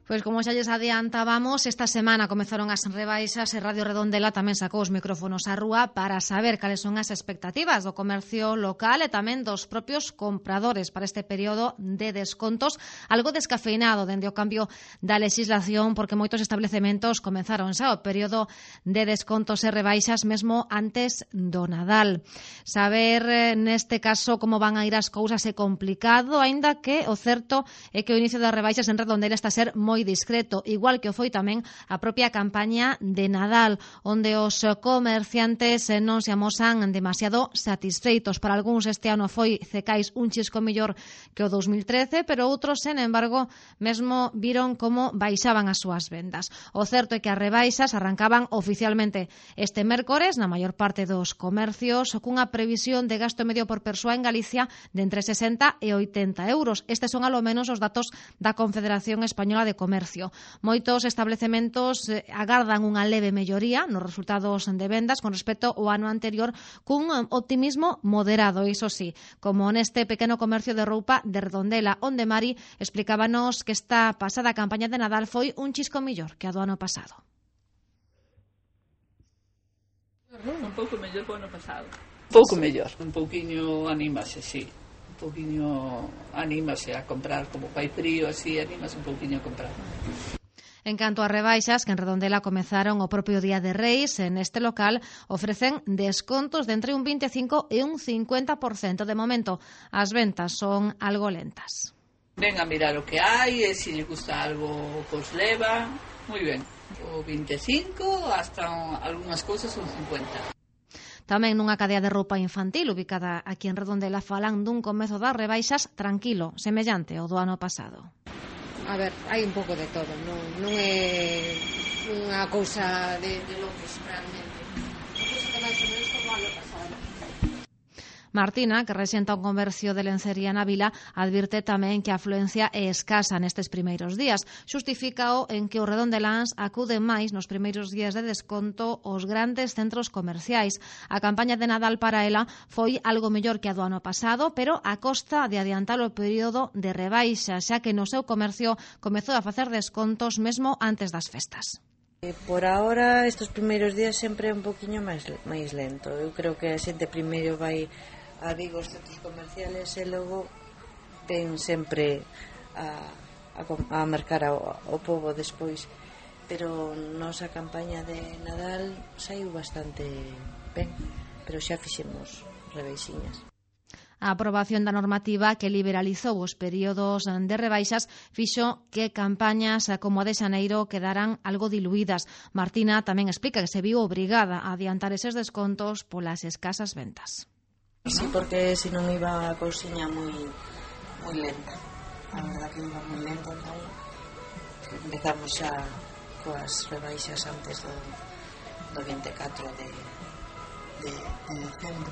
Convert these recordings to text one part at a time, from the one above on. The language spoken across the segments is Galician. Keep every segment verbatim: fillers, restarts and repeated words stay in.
Pois como xa lles adiantábamos, esta semana comezaron as rebaixas e Radio Redondela tamén sacou os micrófonos á rúa para saber cales son as expectativas do comercio local e tamén dos propios compradores para este período de descontos, algo descafeinado dende o cambio da legislación, porque moitos establecementos comenzaron xa o período de descontos e rebaixas mesmo antes do Nadal. Saber neste caso como van a ir as cousas é complicado, aínda que o certo é que o inicio das rebaixas en Redondela está a ser moi discreto, igual que o foi tamén a propia campaña de Nadal, onde os comerciantes non se amosan demasiado satisfeitos. Para algúns este ano foi cecais un chisco mellor que o dos mil trece, pero outros, sen embargo, mesmo viron como baixaban as súas vendas. O certo é que as rebaixas arrancaban oficialmente este mércores na maior parte dos comercios, cunha previsión de gasto medio por persoa en Galicia de entre sesenta e oitenta euros. Estes son alo menos os datos da Confederación Española de Comercio. Comercio. Moitos establecementos eh, agardan unha leve melloría nos resultados de vendas con respecto ao ano anterior, cun optimismo moderado, iso sí, como neste pequeno comercio de roupa de Redondela, onde Mari explicábanos que esta pasada campaña de Nadal foi un chisco mellor que a do ano pasado. Un pouco mellor que o ano pasado. Un pouco mellor, un pouquiño anímase, sí. Un pouquiño anímase a comprar, como fai frío, así, anímase un pouquiño a comprar. En canto a rebaixas, que en Redondela comezaron o propio Día de Reis, en este local ofrecen descontos de entre un vinte e cinco e un cincuenta por cento. De momento, as ventas son algo lentas. Ven a mirar o que hai, e se lle gusta algo, pois leva, moi ben. O vinte e cinco, hasta algunhas cousas son cincuenta. Tamén nunha cadea de roupa infantil ubicada aquí en Redondela falan dun comezo das rebaixas tranquilo, semellante ao do ano pasado. A ver, hai un pouco de todo, non, non é unha cousa de, de locos realmente. Non cousa que máis ou menos como ano pasado. Martina, que rexenta un comercio de lencería na vila, advirte tamén que a afluencia é escasa nestes primeiros días. Xustifícao en que os redondeláns acuden máis nos primeiros días de desconto aos grandes centros comerciais. A campaña de Nadal para ela foi algo mellor que a do ano pasado, pero a costa de adiantar o período de rebaixa, xa que no seu comercio comezou a facer descontos mesmo antes das festas. Por ahora, estes primeiros días sempre é un poquinho máis, máis lento. Eu creo que a xente primeiro vai a Vigo os centros comerciales e logo ven sempre a, a, a mercar ao, ao povo despois, pero nosa campaña de Nadal saiu bastante ben, pero xa fixemos rebaixiñas. A aprobación da normativa que liberalizou os períodos de rebaixas fixo que campañas como a de xaneiro quedaran algo diluídas. Martina tamén explica que se viu obrigada a adiantar eses descontos polas escasas ventas. Sí, porque se non iba a cousiña moi moi lenta. A verdad que iba moi lenta, entón empezamos xa coas rebaixas antes do, do vinte e catro de, de, de decembro.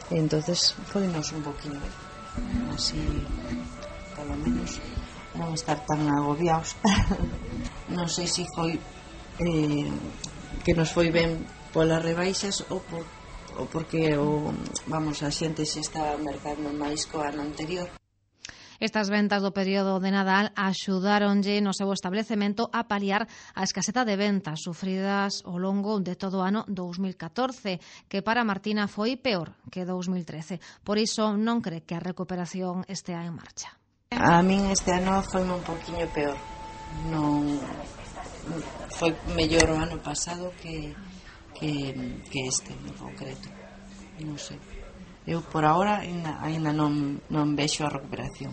E entonces foinos un poquinho así, polo menos non estar tan agobiados. Non sei se foi eh, que nos foi ben polas rebaixas ou por ou porque o, vamos, a xente se estaba mercando máis co ano anterior. Estas ventas do período de Nadal axudáronlle no seu establecemento a paliar a escaseta de ventas sufridas ao longo de todo o ano dous mil catorce, que para Martina foi peor que dous mil trece. Por iso non cree que a recuperación estea en marcha. A min este ano foi un poquinho peor. Non foi mellor o ano pasado que Que, que este en concreto, non sei. Eu por agora ainda, ainda non, non vexo a recuperación,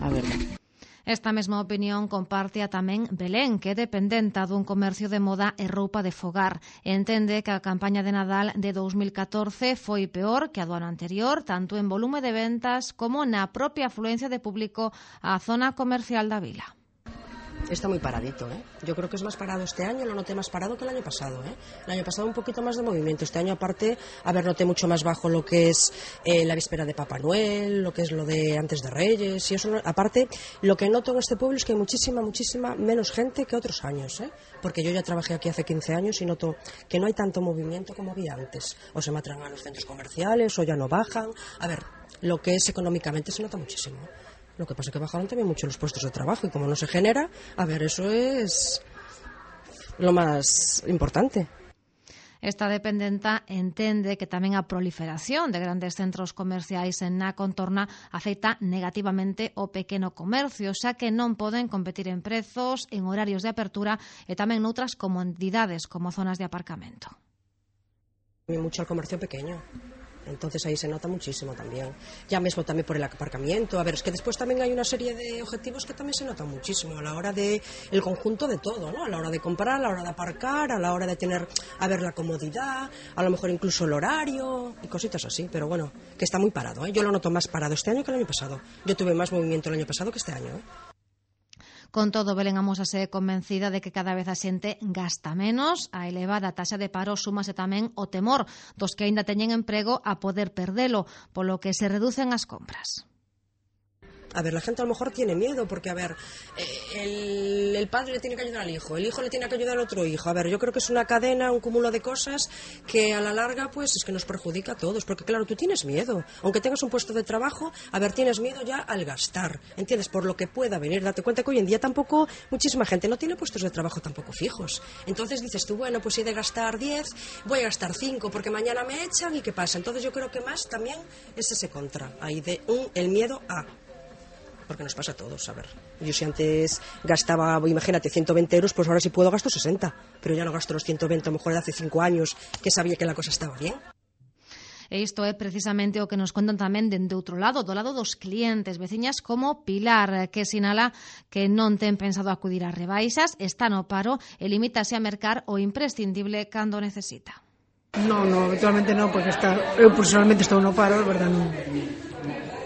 a verdade. Esta mesma opinión comparte a tamén Belén, que é dependenta dun comercio de moda e roupa de fogar. Entende que a campaña de Nadal de dous mil catorce foi peor que a do ano anterior, tanto en volume de ventas como na propia afluencia de público á zona comercial da vila. está muy paradito, ¿eh? Yo creo que es más parado este año, lo noté más parado que el año pasado, ¿eh? El año pasado un poquito más de movimiento, este año aparte, a ver, noté mucho más bajo lo que es eh, la víspera de Papá Noel, lo que es lo de antes de Reyes, y eso, aparte, lo que noto en este pueblo es que hay muchísima, muchísima menos gente que otros años, ¿eh? Porque yo ya trabajé aquí hace quince años y noto que no hay tanto movimiento como había antes, o se matan a los centros comerciales, o ya no bajan, a ver, lo que es económicamente se nota muchísimo. Lo que pasa es que bajaron también mucho los puestos de trabajo y como no se genera, a ver, eso es lo más importante. Esta dependenta entende que tamén a proliferación de grandes centros comerciais na contorna afecta negativamente o pequeno comercio, xa que non poden competir en prezos, en horarios de apertura e tamén noutras comodidades como zonas de aparcamento. Mucho al comercio pequeño. Entonces ahí se nota muchísimo también. Ya mismo también por el aparcamiento. A ver, es que después también hay una serie de objetivos que también se notan muchísimo a la hora de el conjunto de todo, ¿no? A la hora de comprar, a la hora de aparcar, a la hora de tener, a ver, la comodidad, a lo mejor incluso el horario y cositas así. Pero bueno, que está muy parado, ¿eh? Yo lo noto más parado este año que el año pasado. Yo tuve más movimiento el año pasado que este año, ¿eh? Con todo, Belén amósase convencida de que cada vez a xente gasta menos, a elevada taxa de paro súmase tamén o temor dos que aínda teñen emprego a poder perdelo, polo que se reducen as compras. A ver, la gente a lo mejor tiene miedo porque, a ver, el, el padre le tiene que ayudar al hijo, el hijo le tiene que ayudar al otro hijo. A ver, yo creo que es una cadena, un cúmulo de cosas que a la larga, pues, es que nos perjudica a todos. Porque, claro, tú tienes miedo. Aunque tengas un puesto de trabajo, a ver, tienes miedo ya al gastar, ¿entiendes? Por lo que pueda venir. Date cuenta que hoy en día tampoco, muchísima gente no tiene puestos de trabajo tampoco fijos. Entonces dices tú, bueno, pues si he de gastar diez, voy a gastar cinco porque mañana me echan y ¿qué pasa? Entonces yo creo que más también es ese contra, ahí de un, el miedo a... Porque nos pasa a todos, a ver. Yo si antes gastaba, imagínate, ciento veinte euros, pues ahora si puedo gasto sesenta. Pero ya no gasto los ciento veinte, a lo mejor de hace cinco años, que sabía que la cosa estaba bien. E isto é precisamente o que nos contan tamén dende outro lado, do lado dos clientes, veciñas como Pilar, que sinala que non ten pensado acudir a rebaixas, está no paro e limítase a mercar o imprescindible cando necesita. No, no, habitualmente non, porque está, eu personalmente estou no paro, verdad, non...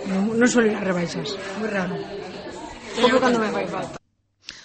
Non, non suelo ir a rebaixas, moi raro. Como cando me fai falta.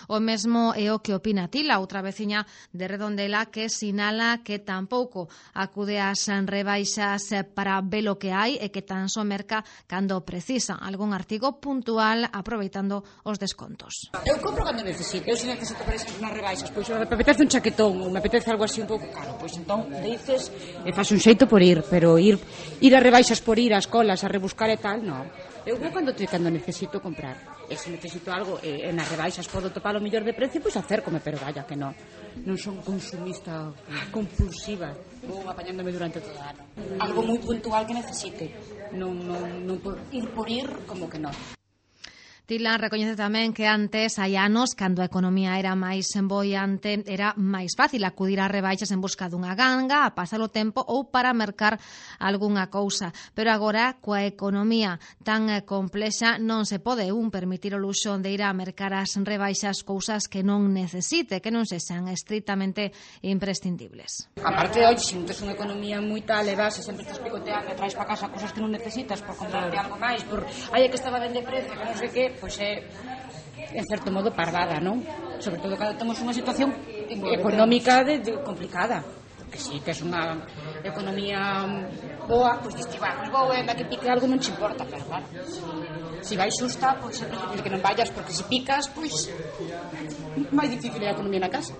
O mesmo é o que opina Tila, outra veciña de Redondela, que sinala que tampouco acude ás rebaixas para ver o que hai e que tan só merca cando precisa algún artigo puntual aproveitando os descontos. Eu compro cando necesito, eu se necesito para esas nas rebaixas, pois me apetece un chaquetón ou me apetece algo así un pouco caro, pois entón dices e faz un xeito por ir, pero ir ir a rebaixas por ir ás colas a rebuscar e tal, non. Eu vou cando, cando necesito comprar. E se necesito algo e, e nas rebaixas podo topar o mellor de precio, pois acércome, pero vaya que non. Non son consumista compulsiva. Vou apañándome durante todo o ano. Algo moi puntual que necesite. Non, non, non por ir por ir, como que non. Tila recoñece tamén que antes, hai anos, cando a economía era máis emboiante, era máis fácil acudir a rebaixas en busca dunha ganga, a pasar o tempo ou para mercar algunha cousa. Pero agora, coa economía tan complexa, non se pode un permitir o luxo de ir a mercar as rebaixas cousas que non necesite, que non sexan estritamente imprescindibles. Aparte, oi, se non tes unha economía moi tal e vas e sempre estás picoteando e traes para casa cousas que non necesitas por comprarte algo máis, por ai, que estaba ben de precio, que non sei que, pois é, en certo modo, parvada, non? Sobre todo cando temos unha situación económica de, de complicada. Porque si tes unha economía boa, pois diste, va, pois vou, e que pique algo non te importa, pero claro, si vai xusta, pois é preferible que non vayas, porque se picas, pois máis difícil é a economía na casa.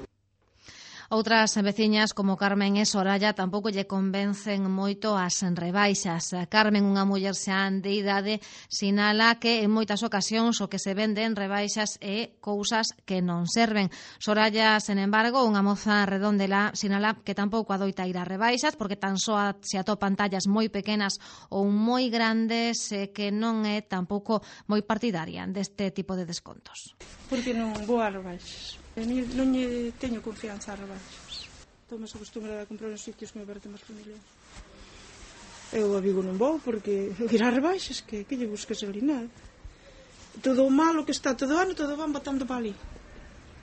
Outras veciñas como Carmen e Soraya tampouco lle convencen moito as rebaixas. Carmen, unha muller xa de idade, sinala que en moitas ocasións o que se vende en rebaixas é cousas que non serven. Soraya, sen embargo, unha moza redondela, sinala que tampouco adoita ir a rebaixas porque tan só se atopan tallas moi pequenas ou moi grandes e que non é tampouco moi partidaria deste tipo de descontos. Porque non vou a rebaixas. Non lle teño confianza a rebaixas. Estou máis acostumbrada a comprar nos sitios que me parecen máis familiares. Eu a Vigo non vou porque ir a rebaixas, que, que lle busques ali nada. Todo o malo que está todo o ano, todo van botando para ali.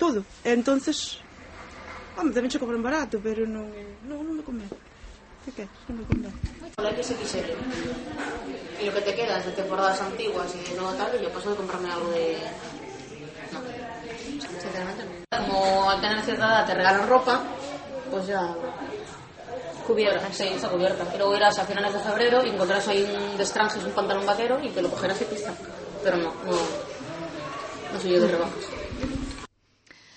Todo. E entonces, home, tamén che cobran barato, pero non, non, non me convén. Que queres? Non me convén. Hola, que se quixere. E lo que te quedas de temporadas antiguas e de novo tal, yo paso de comprarme algo de... No. sinceramente non. Como al tener cierta edad te regalan ropa, pues ya cubierta, sí, está cubierta. Y luego irás a finales de febrero y encontrarás ahí un destranges, un pantalón vaquero y te lo cogerás y pista. Pero no, no, no soy yo de rebajas.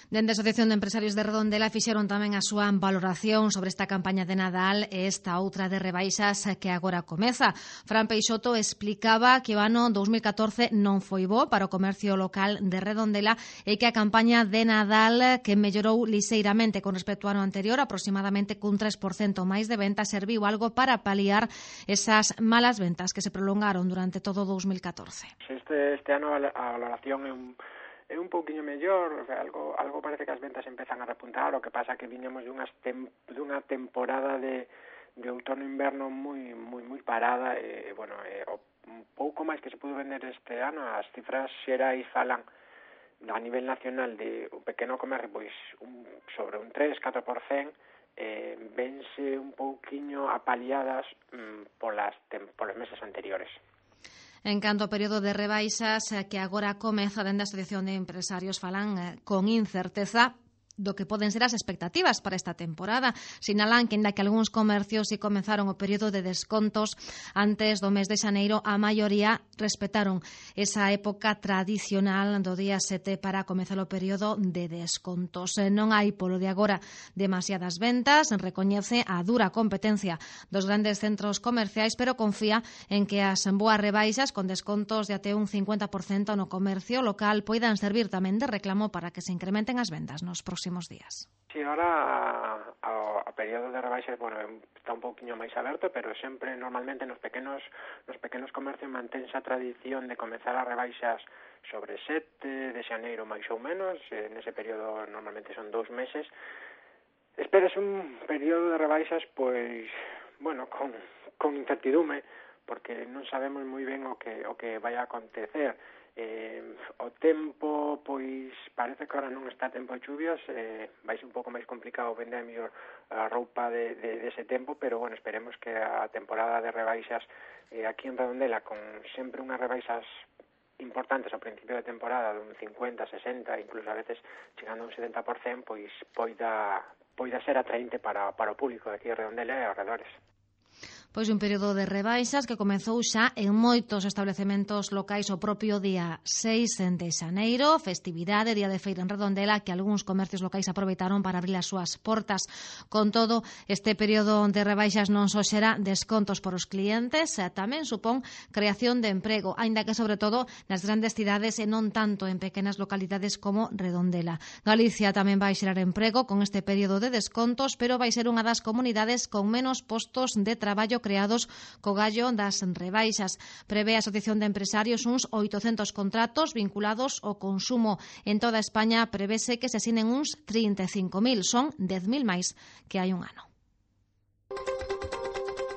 Dende a Asociación de Empresarios de Redondela fixeron tamén a súa valoración sobre esta campaña de Nadal e esta outra de rebaixas que agora comeza. Fran Peixoto explicaba que o ano dos mil catorce non foi bo para o comercio local de Redondela e que a campaña de Nadal, que mellorou lixeiramente con respecto ao ano anterior, aproximadamente cun tres por cento máis de ventas, serviu algo para paliar esas malas ventas que se prolongaron durante todo o dos mil catorce. Este, este ano a valoración é un é un pouquiño mellor, o sea, algo algo parece que as ventas empezan a repuntar, o que pasa que viñamos dunhas tem, dunha temporada de de outono-inverno moi moi moi parada e, bueno, e, o un pouco máis que se pudo vender este ano, as cifras xerais falan a nivel nacional de un pequeno comercio, pois un, sobre un tres a catro por cento, eh, vense un pouquiño apaliadas mm, polas tem, polos meses anteriores. En canto ao período de rebaixas que agora comeza, dende a Asociación de Empresarios falan con incerteza do que poden ser as expectativas para esta temporada. Sinalan que, ainda que algúns comercios si comenzaron o período de descontos antes do mes de xaneiro, a maioría respetaron esa época tradicional do día sete para comezar o período de descontos. Non hai, polo de agora, demasiadas ventas, recoñece a dura competencia dos grandes centros comerciais, pero confía en que as boas rebaixas con descontos de até un cincuenta por cento no comercio local poidan servir tamén de reclamo para que se incrementen as vendas nos próximos días. Sí, ahora a, a período de rebaixas, bueno, está un pouquiño máis aberto, pero sempre normalmente nos pequenos nos pequenos comercios mantense a tradición de comezar as rebaixas sobre sete de xaneiro máis ou menos, en ese período normalmente son dous meses. Esperes un período de rebaixas, pois, bueno, con, con incertidume, porque non sabemos moi ben o que o que vai a acontecer. Eh, o tempo, pois, parece que ahora non está tempo de chuvias, eh, vai ser un pouco máis complicado vender a mellor a roupa de, de, de ese tempo, pero, bueno, esperemos que a temporada de rebaixas eh, aquí en Redondela, con sempre unhas rebaixas importantes ao principio de temporada, dun cincuenta, sesenta, incluso a veces chegando a un setenta por cento, pois poida, poida ser atraente para, para o público de aquí de Redondela e arredores. Pois un período de rebaixas que comezou xa en moitos establecementos locais o propio día seis de xaneiro, festividade, día de feira en Redondela, que algúns comercios locais aproveitaron para abrir as súas portas. Con todo, este período de rebaixas non só xera descontos por os clientes, tamén supón creación de emprego, aínda que sobre todo nas grandes cidades e non tanto en pequenas localidades como Redondela. Galicia tamén vai xerar emprego con este período de descontos, pero vai ser unha das comunidades con menos postos de traballo creados co gallo das rebaixas. Prevé a Asociación de Empresarios uns oitocentos contratos vinculados ao consumo. En toda España prevese que se asinen uns trinta e cinco mil, son dez mil máis que hai un ano.